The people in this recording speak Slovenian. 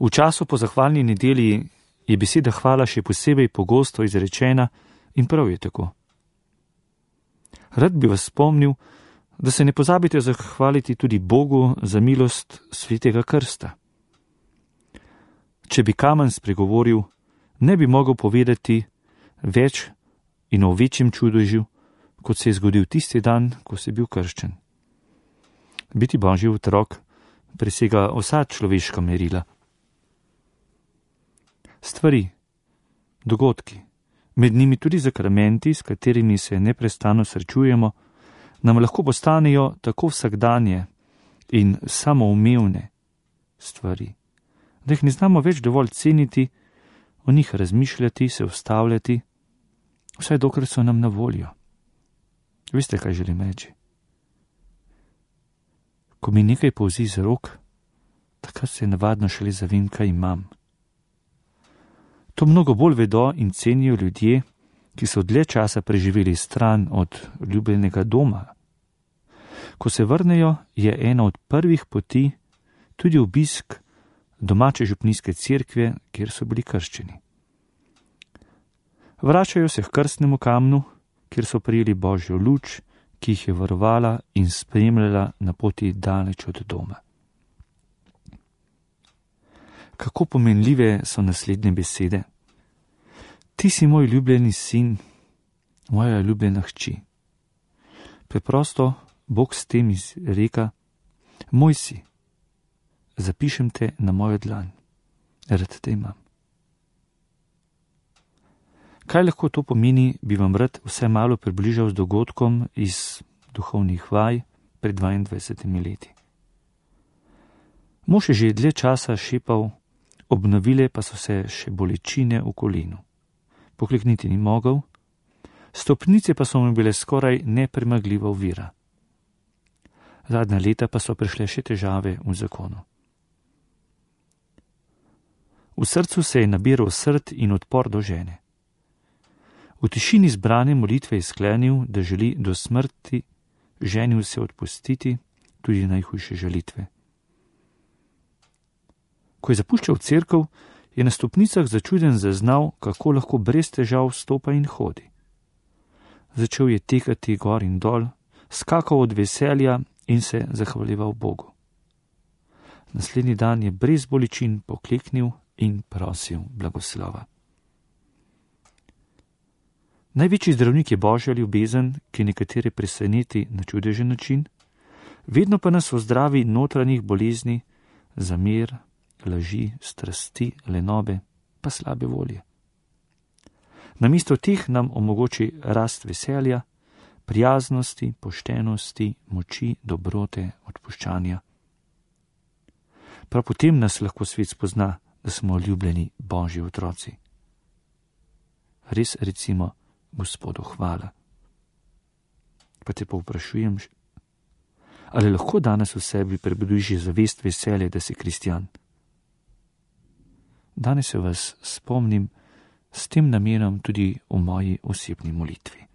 V času po zahvalni nedelji je beseda hvala še posebej pogosto izrečena in prav je tako. Rad bi vas spomnil, da se ne pozabite zahvaliti tudi Bogu za milost svetega krsta. Če bi kamen spregovoril, ne bi mogel povedati več in o večjem čudežu, kot se je zgodil tisti dan, ko si bil krščen. Biti Božji otrok presega vsa človeška merila. Stvari, dogodki, med njimi tudi zakramenti, s katerimi se neprestano srečujemo, nam lahko postanejo tako vsakdanje in samoumevne stvari, da jih ne znamo več dovolj ceniti, o njih razmišljati, se ustavljati, vsaj dokler so nam na voljo. Veste, kaj želim reči? Ko mi nekaj polzi z rok, takrat se navadno šele zavem, kaj imam. To mnogo bolj vedo in cenijo ljudje, ki so dlje časa preživeli stran od ljubljenega doma. Ko se vrnejo, je ena od prvih poti tudi obisk domače župnijske cerkve, kjer so bili krščeni. Vračajo se k krstnemu kamnu, kjer so prijeli Božjo luč, ki jih je varovala in spremljala na poti daleč od doma. Kako pomenljive so naslednje besede. Ti si moj ljubljeni sin, moja ljubljena hči. Preprosto Bog s tem izreka, moj si, zapišem te na mojo dlan, rad te imam. Kaj lahko to pomeni, bi vam rad vse malo približal z dogodkom iz duhovnih vaj pred 22 leti. Mož je že dlje časa šepal, obnovile pa so se še bolečine v kolenu. Poklekniti ni mogel, stopnice pa so mu bile skoraj nepremagljiva ovira. Zadnja leta pa so prišle še težave v zakonu. V srcu se je nabiral srd in odpor do žene. V tišini zbrane molitve je sklenil, da želi do smrti ženi vse odpustiti, tudi najhujše žalitve. Ko je zapuščal cerkev, je na stopnicah začuden zaznal, kako lahko brez težav stopa in hodi. Začel je tekati gor in dol, skakal od veselja in se zahvaljeval Bogu. Naslednji dan je brez bolečin pokleknil in prosil blagoslova. Največji zdravnik je Božja ljubezen, ki nekatere preseneti na čudežen način, vedno pa nas ozdravi notranjih bolezni, zamer, laži, strasti, lenobe, pa slabe volje. Namesto teh nam omogoči rast veselja, prijaznosti, poštenosti, moči, dobrote, odpuščanja. Prav potem nas lahko svet spozna, da smo ljubljeni Božji otroci. Res recimo Gospodu hvala. Pa te povprašujem, ali lahko danes v sebi prebudiš zavest veselja, da si kristjan? Danes se vas spomnim s tem namenom tudi v moji osebni molitvi.